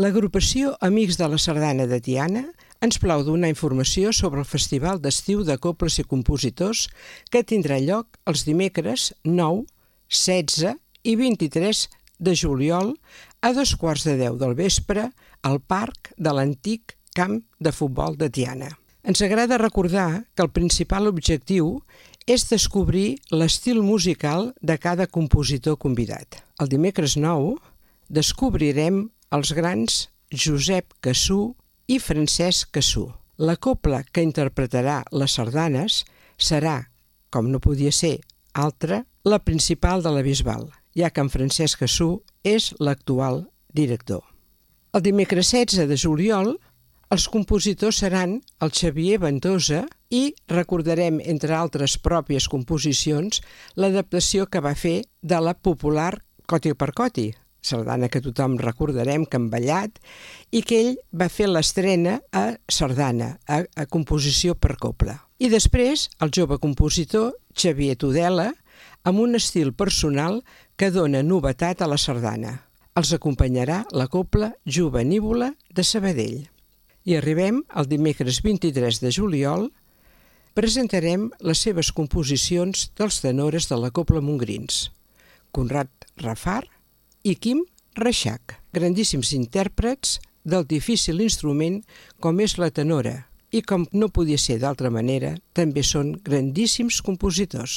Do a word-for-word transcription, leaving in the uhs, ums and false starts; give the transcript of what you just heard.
L'agrupació Amics de la Sardana de Tiana ens plau donar informació sobre el Festival d'Estiu de Coples i Compositors que tindrà lloc els dimecres nou, setze i vint-i-tres de juliol a dos quarts de deu del vespre al Parc de l'antic Camp de Futbol de Tiana. Ens agrada recordar que el principal objectiu és descobrir l'estil musical de cada compositor convidat. El dimecres nou descobrirem els grans Josep Cassú i Francesc Cassú. La cobla que interpretarà les sardanes serà, com no podia ser altra, la principal de la Bisbal, ja que en Francesc Cassú és l'actual director. El dimecres setze de juliol els compositors seran el Xavier Ventosa i recordarem, entre altres pròpies composicions, l'adaptació que va fer de la popular Coti per Coti, sardana que tothom recordarem que han ballat, i que ell va fer l'estrena a sardana, a, a composició per cobla. I després el jove compositor Xavier Tudela, amb un estil personal que dona novetat a la sardana. Els acompanyarà la cobla Jovenívola de Sabadell. I arribem al dimecres vint-i-tres de juliol, presentarem les seves composicions dels tenores de la cobla Montgrins, Conrad Rafar i Quim Reixac, grandíssims intèrprets del difícil instrument com és la tenora, i com no podia ser d'altra manera, també són grandíssims compositors.